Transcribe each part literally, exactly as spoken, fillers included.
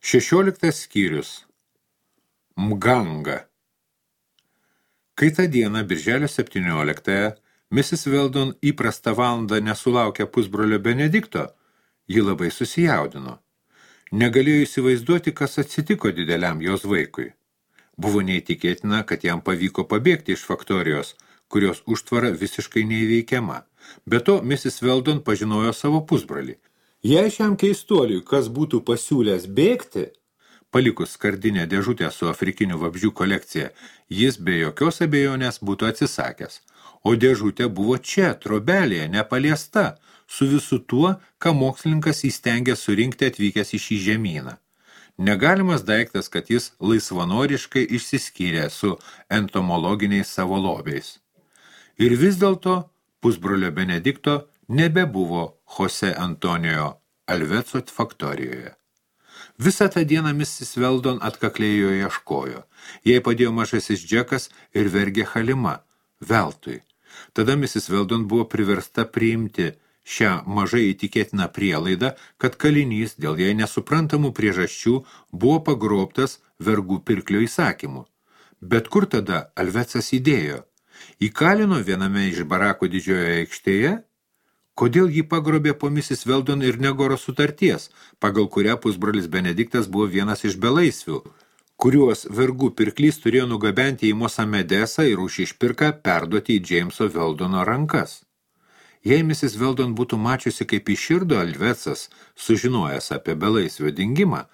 Šešioliktas skyrius. Mganga. Kai tą dieną, birželio septynioliktąją, misis Weldon įprastą valandą nesulaukė pusbrolio Benedikto, ji labai susijaudino. Negalėjo įsivaizduoti, kas atsitiko dideliam jos vaikui. Buvo neįtikėtina, kad jam pavyko pabėgti iš faktorijos, kurios užtvara visiškai neįveikiama. Be to, misis Weldon pažinojo savo pusbrolį. Jei šiam keistuoliui, kas būtų pasiūlęs bėgti, palikus skardinę dėžutę su afrikinių vabzdžių kolekcija, jis be jokios abejonės būtų atsisakęs. O dėžutė buvo čia, trobelėje, nepaliesta, su visu tuo, ką mokslininkas įstengė surinkti atvykęs į šį žemyną. Negalimas daiktas, kad jis laisvanoriškai išsiskyrė su entomologiniais savo lobiais. Ir vis dėlto pusbrolio Benedikto nebebuvo Jose Antonijo Alveco faktorijoje. Visą tą dieną misis Weldon atkakliai jo ieškojo. Jai padėjo mažasis Džekas ir vergė Halima. Veltui. Tada misis Weldon buvo priversta priimti šią mažai įtikėtiną prielaidą, kad kalinys dėl jai nesuprantamų priežasčių buvo pagrobtas vergų pirklio įsakymu. Bet kur tada Alvecas įdėjo? Įkalino viename iš barakų didžiojoje aikštėje? Kodėl jį pagrobė po misis Weldon ir Negoro sutarties, pagal kurią pusbrolis Benediktas buvo vienas iš belaisvių, kuriuos vergų pirklys turėjo nugabenti į Mosamedesą ir už išpirką perduoti į Jameso Weldono rankas? Jei misis Weldon būtų mačiusi, kaip iširdo Alvecas, sužinojęs apie belaisvio dingimą,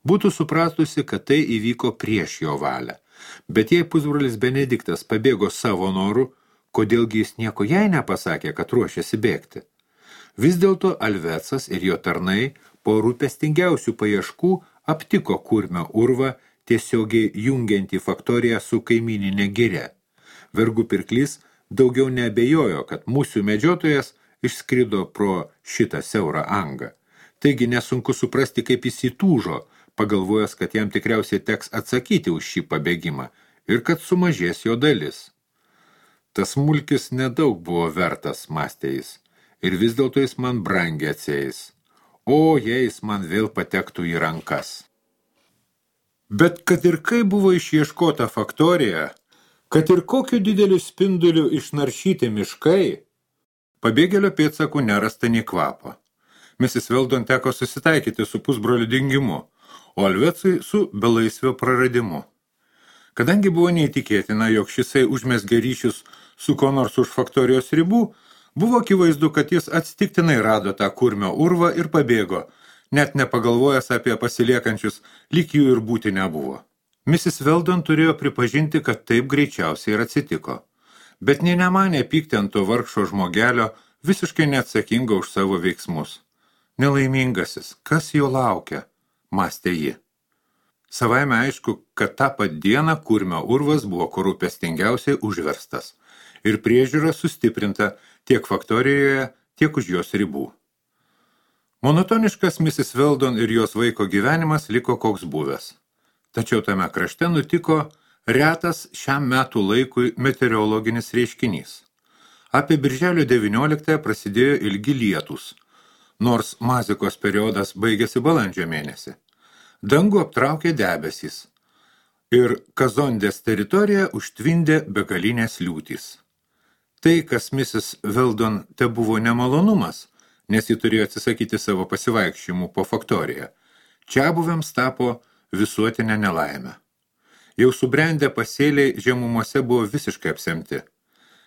būtų supratusi, kad tai įvyko prieš jo valią. Bet jei pusbrolis Benediktas pabėgo savo norų, kodėlgi jis nieko jai nepasakė, kad ruošiasi bėgti? Vis dėlto Alvecas ir jo tarnai po rūpestingiausių paieškų aptiko kurmio urvą tiesiogiai jungiantį faktoriją su kaimyninė giria. Vergų pirklys daugiau neabejojo, kad mūsų medžiotojas išskrido pro šitą siaurą angą. Taigi nesunku suprasti, kaip jis įtūžo, pagalvojęs, kad jam tikriausiai teks atsakyti už šį pabėgimą ir kad sumažės jo dalis. Tas smulkis nedaug buvo vertas, mąstė jis. Ir vis dėlto jis man brangiai atsieis. O, jei jis man vėl patektų į rankas. Bet kad ir kai buvo išieškota faktorija, kad ir kokiu dideliu spinduliu išnaršyti miškai, pabėgėlio pėdsakų nerasta nei kvapo. misis Weldon teko susitaikyti su pusbroliu dingimu, o Alvecui su belaisvio praradimu. Kadangi buvo neįtikėtina, jog šisai užmezgė ryšius su ko nors už faktorijos ribų, buvo akivaizdu, kad jis atsitiktinai rado tą kurmio urvą ir pabėgo, net nepagalvojęs apie pasiliekančius, lyg jų ir būti nebuvo. misis Weldon turėjo pripažinti, kad taip greičiausiai ir atsitiko, bet nė nemanė pykti ant to vargšo žmogelio, visiškai neatsakingo už savo veiksmus. Nelaimingasis, kas jo laukia, mąstė ji. Savaime aišku, kad tą pat dieną kurmio urvas buvo rūpestingiausiai užverstas ir priežiūra sustiprinta tiek faktorijoje, tiek už jos ribų. Monotoniškas misis Weldon ir jos vaiko gyvenimas liko koks buvęs. Tačiau tame krašte nutiko retas šiam metų laikui meteorologinis reiškinys. Apie birželio devynioliktąją prasidėjo ilgi lietūs, nors mazikos periodas baigėsi balandžio mėnesį. Dangų aptraukė debesys ir Kazondės teritoriją užtvindė begalinės liūtys. Tai, kas misis Weldon te buvo nemalonumas, nes ji turėjo atsisakyti savo pasivaikščiojimų po faktoriją, čiabuviams tapo visuotinę nelaimę. Jau subrendę pasėliai žemumose buvo visiškai apsemti.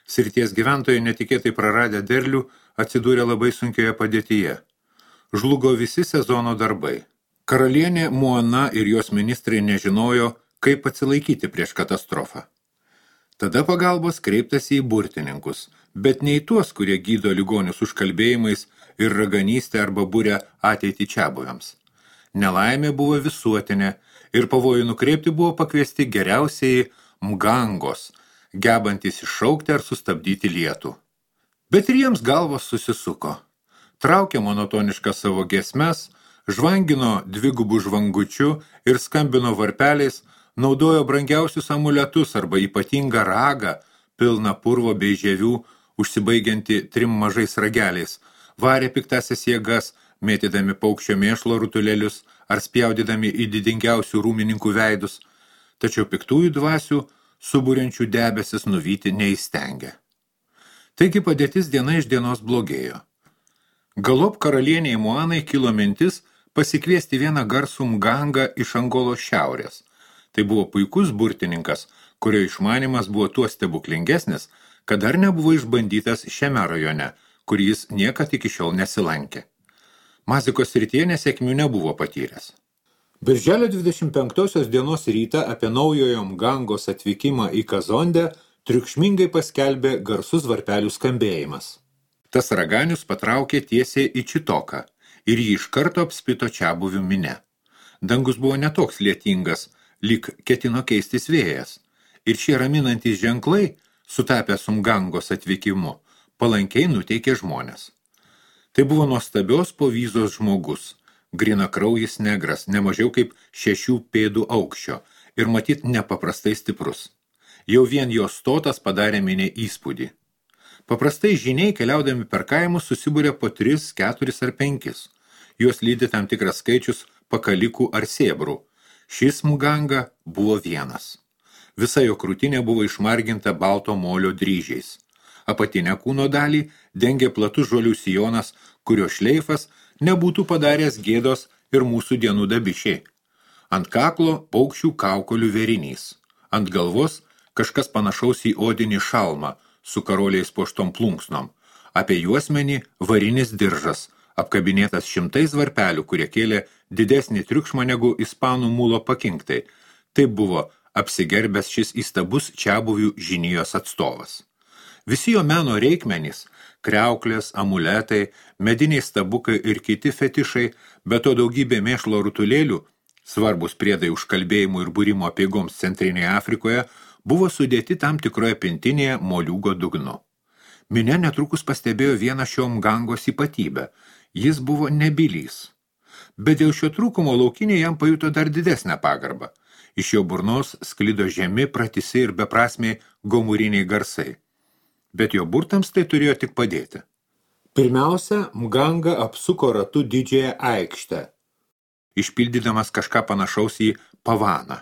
Srities gyventojai netikėtai praradę derlių atsidūrė labai sunkioje padėtyje. Žlugo visi sezono darbai. Karalienė Moana ir jos ministrai nežinojo, kaip atsilaikyti prieš katastrofą. Tada pagalbos kreiptasi į burtininkus, bet ne į tuos, kurie gydo ligonius užkalbėjimais ir raganystę arba būrę ateitį čiabuviams. Nelaimė buvo visuotinė ir pavojų nukreipti buvo pakviesti geriausiai mgangos, gebantys iššaukti ar sustabdyti lietų. Bet ir jiems galvos susisuko. Traukė monotonišką savo giesmes, žvangino dvigubų žvangučių ir skambino varpeliais, naudojo brangiausius amuletus arba ypatingą ragą, pilną purvo bei žievių, užsibaigianti trim mažais rageliais, varė piktasias jėgas, mėtydami paukščio mėšlo rutulėlius ar spjaudydami į didingiausių rūmininkų veidus, tačiau piktųjų dvasių suburiančių debesis nuvyti neįstengė. Taigi padėtis diena iš dienos blogėjo. Galop karalieniai Moanai kilo mintis pasikviesti vieną garsų Mgangą iš Angolos šiaurės. Tai buvo puikus burtininkas, kurio išmanimas buvo tuo stebuklingesnis, kad dar nebuvo išbandytas šiame rajone, kur jis niekad iki šiol nesilankė. Mazikos srityje nesėkmių nebuvo patyręs. Birželio dvidešimt penktosios dienos rytą apie naujojo Mgangos atvykimą į Kazondę triukšmingai paskelbė garsus varpelių skambėjimas. Tas raganius patraukė tiesiai į Čitoką ir jį iš karto apspito čiabuvių mine. Dangus buvo netoks lietingas, lyg ketino keistis vėjas, ir šie raminantys ženklai, sutapę su Mgangos atvykimu, palankiai nuteikė žmonės. Tai buvo nuostabios povyzos žmogus, grinakraujis negras, nemažiau kaip šešių pėdų aukščio ir matyt nepaprastai stiprus. Jau vien jo stotas padarė minė įspūdį. Paprastai žiniai keliaudami per kaimus susibūrė po tris, keturis ar penkis. Juos lydi tam tikras skaičius pakalikų ar sėbrų. Šis Mganga buvo vienas. Visa jo krūtinė buvo išmarginta balto molio dryžiais. Apatinę kūno dalį dengė platus žolių sijonas, kurio šleifas nebūtų padaręs gėdos ir mūsų dienų dabišiai. Ant kaklo paukščių kaukolių vėrinys. Ant galvos kažkas panašaus į odinį šalmą su karoliais puoštom plunksnom. Apie juosmenį varinis diržas, apkabinėtas šimtais varpelių, kurie kėlė didesnį triukšmą negu ispanų mulo pakinktai. Tai buvo apsigerbęs šis įstabus čiabuvių žinijos atstovas. Visi jo meno reikmenys, kriauklės, amuletai, mediniai stabukai ir kiti fetišai, be to daugybė mėšlo rutulėlių, svarbus priedai užkalbėjimų ir būrimo apeigoms Centrinėje Afrikoje, buvo sudėti tam tikroje pintinėje moliūgo dugnu. Minia netrukus pastebėjo vieną šio Mgangos ypatybę. Jis buvo nebylys. Bet dėl šio trūkumo laukiniai jam pajuto dar didesnę pagarbą. Iš jo burnos sklido žemi, pratisi ir beprasmiai gomuriniai garsai. Bet jo burtams tai turėjo tik padėti. Pirmiausia, Mganga apsuko ratu didžiąją aikštę, išpildydamas kažką panašaus į pavaną.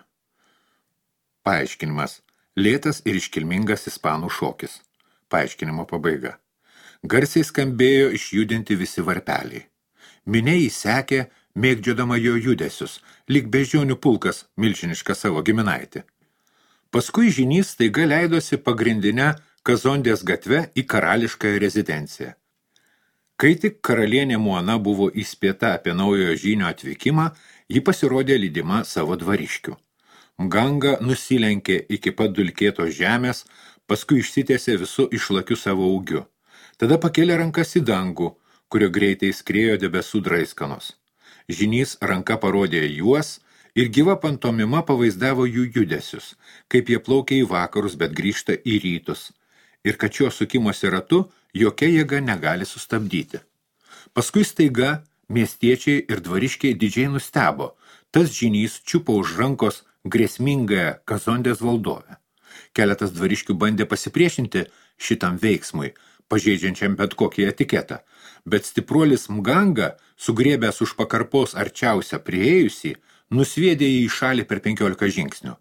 Paaiškinimas. Lėtas ir iškilmingas ispanų šokis. Paaiškinimo pabaiga. Garsiai skambėjo išjudinti visi varpeliai. Minia įsekė, mėgdžiodama jo judesius, lyg beždžionių pulkas milžinišką savo giminaitį. Paskui žynys staiga leidosi pagrindinę Kazondės gatve į karališkąją rezidenciją. Kai tik karalienė Moana buvo įspėta apie naujojo žynio atvykimą, ji pasirodė lydima savo dvariškių. Mganga nusilenkė iki pat dulkėtos žemės, paskui išsitiesė visu išlakiu savo ūgiu. Tada pakėlė rankas į dangų, kurio greitai skriejo debesų draiskanos. Žynys ranka parodė juos ir gyva pantomima pavaizdavo jų judesius, kaip jie plaukia į vakarus, bet grįžta į rytus. Ir kad šio sukimosi ratu jokia jėga negali sustabdyti. Paskui staiga miestiečiai ir dvariškiai didžiai nustebo. Tas žynys čiupo už rankos grėsmingąją Kazondės valdovę. Keletas dvariškių bandė pasipriešinti šitam veiksmui, pažeidžiančiam bet kokį etiketą, bet stipruolis Mganga, sugriebęs už pakarpos arčiausią priėjusį, nusviedė jį į šalį per penkiolika žingsnių.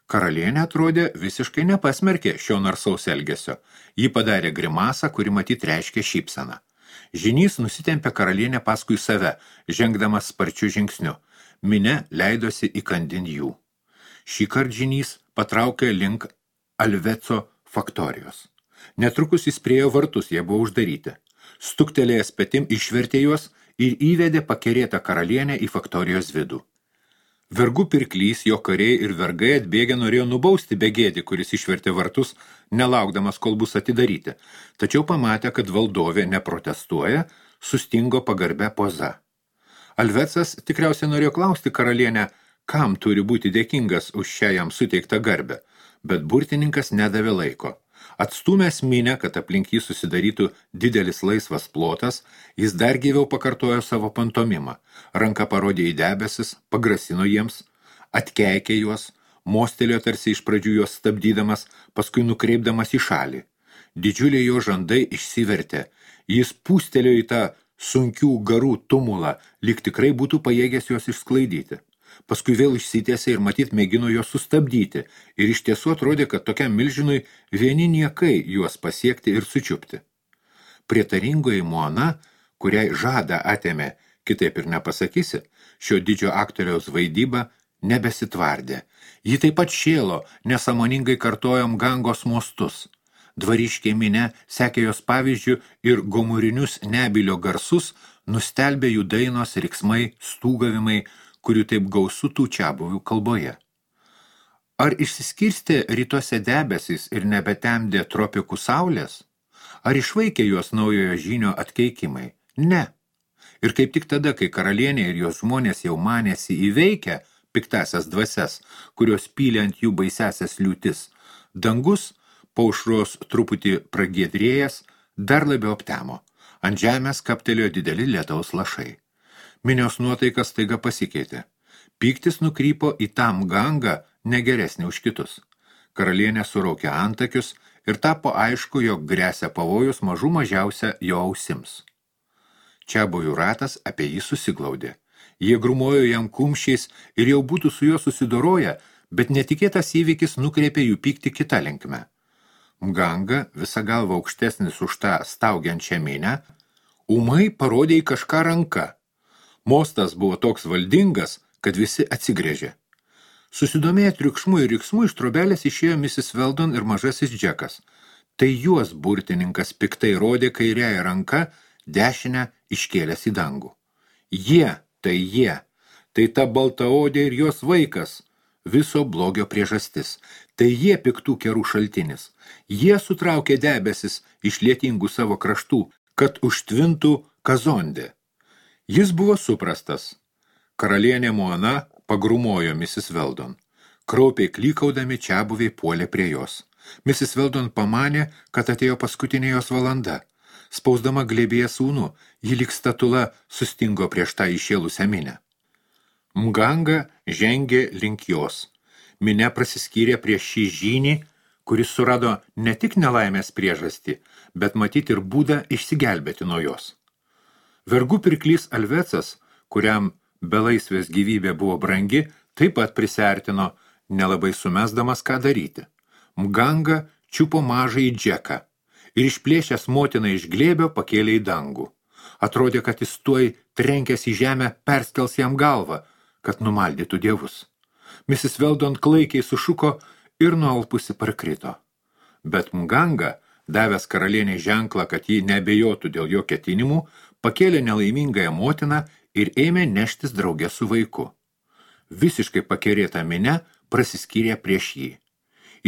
Karalienė atrodė visiškai nepasmerkė šio narsaus elgesio. Ji padarė grimasą, kuri matyt reiškė šypseną. Žynys nusitempė karalienę paskui save, žengdamas sparčiu žingsniu. Minia leidosi įkandin jų. Šįkart žynys patraukė link Alveco faktorijos. Netrukus jis priejo vartus, jie buvo uždaryti. Stuktelėjęs petim išvertė juos ir įvedė pakerėtą karalienę į faktorijos vidų. Vergų pirklys, jo kariai ir vergai atbėgę norėjo nubausti begėdį, kuris išvertė vartus, nelaukdamas, kol bus atidaryti. Tačiau pamatė, kad valdovė neprotestuoja, sustingo pagarbę poza. Alvecas tikriausiai norėjo klausti karalienę, kam turi būti dėkingas už šią jam suteiktą garbę, bet burtininkas nedavė laiko. Atstūmęs minę, kad aplink jį susidarytų didelis laisvas plotas, jis dar gyviau pakartojo savo pantomimą. Ranka parodė į debesis, pagrasino jiems, atkeikė juos, mostelėjo tarsi iš pradžių juos stabdydamas, paskui nukreipdamas į šalį. Didžiuliai jo žandai išsivertė. Jis pūstelėjo į tą sunkių garų tumulą, lyg tikrai būtų pajėgęs juos išsklaidyti. Paskui vėl išsitiesė ir matyt mėgino juos sustabdyti, ir iš tiesų atrodė, kad tokiam milžinui vieni niekai juos pasiekti ir sučiupti. Prietaringoji Moana, kuriai žadą atėmė, kitaip ir nepasakysi, šio didžio aktoriaus vaidyba nebesitvardė. Ji taip pat šėlo, nesąmoningai kartojo Mgangos mostus. Dvariškė minė sekė jos pavyzdžių ir gomurinius nebylio garsus nustelbė jų dainos, riksmai, stūgavimai, kurių taip gausu tų čiabuvių kalboje. Ar išsiskirstė rytuose debesys ir nebetemdė tropikų saulės? Ar išvaikė juos naujojo žynio atkeikimai? Ne. Ir kaip tik tada, kai karalienė ir jos žmonės jau manėsi įveikę piktasias dvasias, kurios pylė ant jų baisiasias liūtis, dangus, paušros truputį pragiedrėjęs, dar labiau aptemo. Ant žemės kaptelėjo dideli lietaus lašai. Minios nuotaikas staiga pasikeitė. Pyktis nukrypo į tą Mgangą negeresnį už kitus. Karalienė suraukė antakius ir tapo aišku, jog gresia pavojus mažų mažiausia jo ausims. Čiabuvių ratas apie jį susiglaudė. Jie grumojo jam kumščiais ir jau būtų su juo susidoroję, bet netikėtas įvykis nukreipė jų pyktį kitą linkmę. Mganga, visa galva aukštesnis už tą staugiančią minę, ūmai parodė į kažką ranka. Mostas buvo toks valdingas, kad visi atsigrėžė. Susidomėję triukšmu ir riksmu iš trobelės išėjo misis Weldon ir mažasis Džekas. Tai juos burtininkas piktai rodė kairiąją ranką, dešinę iškėlęs į dangų. Jie, tai jie, tai ta baltaodė ir jos vaikas, viso blogio priežastis. Tai jie piktų kerų šaltinis. Jie sutraukė debesis iš lietingų savo kraštų, kad užtvintų Kazondę. Jis buvo suprastas. Karalienė Moana pagrumojo misis Weldon. Kraupiai klykaudami čiabuviai puolė prie jos. misis Weldon pamanė, kad atėjo paskutinė jos valanda. Spausdama glėbėje sūnų, ji lyg statula sustingo prieš tą išėlusią minę. Mganga žengė link jos. Minė prasiskyrė prieš šį žynį, kuris surado ne tik nelaimės priežastį, bet matyti ir būdą išsigelbėti nuo jos. Vergų pirklys Alvecas, kuriam belaisvės gyvybė buvo brangi, taip pat prisiartino, nelabai sumesdamas ką daryti. Mganga čiupo mažąjį Džeką ir išplėšęs motiną iš glėbio pakėlė į dangų. Atrodė, kad jis tuoj trenkęs į žemę perskels jam galvą, kad numaldytų dievus. misis Weldon klaikiai sušuko ir nualpusi parkrito. Bet Mganga, davęs karalienei ženklą, kad ji neabejotų dėl jo ketinimų, pakėlė nelaimingąją motiną ir ėmė neštis drauge su vaiku. Visiškai pakerėta minė prasiskyrė prieš jį.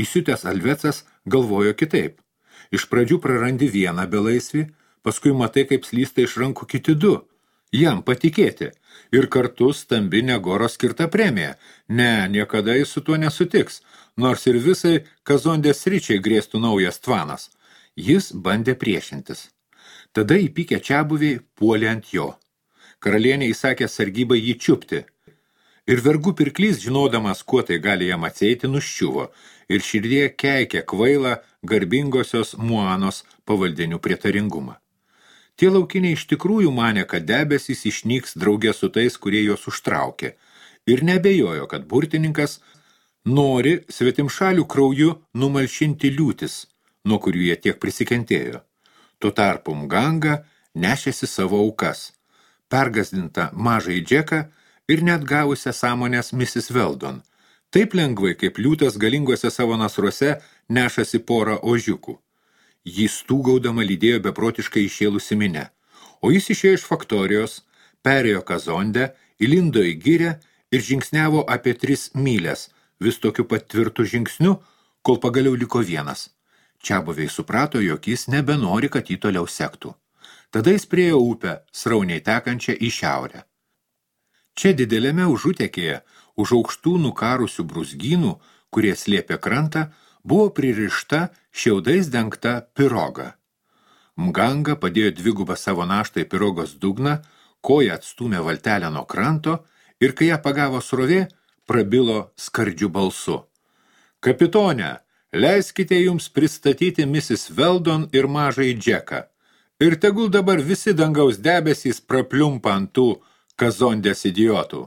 Įsiutęs Alvecas galvojo kitaip. Iš pradžių prarandi vieną belaisvį, paskui matai, kaip slysta iš rankų kiti du. Jam patikėti. Ir kartu stambi Negoro skirta premija. Ne, niekada jis su tuo nesutiks, nors ir visai Kazondės sričiai grėstų naujas tvanas. Jis bandė priešintis. Tada įpykę čiabuviai puolė ant jo. Karalienė įsakė sargybai jį čiupti. Ir vergų pirklys, žinodamas, kuo tai gali jam atsieiti, nuščiuvo ir širdie keikė kvailą garbingosios Moanos pavaldinių prietaringumą. Tie laukiniai iš tikrųjų manė, kad debesys išnyks drauge su tais, kurie juos užtraukė, ir nebejojo, kad burtininkas nori svetimšalių krauju numalšinti liūtis, nuo kurių jie tiek prisikentėjo. Tuo tarpu Mganga nešėsi savo aukas, pergazdinta mažąjį Džeką ir net gavusią sąmonės misis Weldon, taip lengvai, kaip liūtas galingose savo nasruose nešasi porą ožiukų. Jį stūgaudama lydėjo beprotiškai išėlusi minė, o jis išėjo iš faktorijos, perėjo Kazondę, įlindo į girią ir žingsniavo apie tris myles, vis tokiu pat tvirtu žingsniu, kol pagaliau liko vienas. Čiabuviai suprato, jog jis nebenori, kad jį toliau sektų. Tada jis priejo upę, srauniai tekančią į šiaurę. Čia dideliame užutekėje, už aukštų nukarusių brūzgynų, kurie slėpė krantą, buvo pririšta šiaudais dengta piroga. Mganga padėjo dvigubą savo naštą į pirogos dugną, koja atstūmė valtelę nuo kranto ir kai ją pagavo srovė, prabilo skardžiu balsu. Kapitone, leiskite jums pristatyti misis Weldon ir mažąjį Džeką. Ir tegul dabar visi dangaus debesys prapliumpa ant tų kazondės idiotų.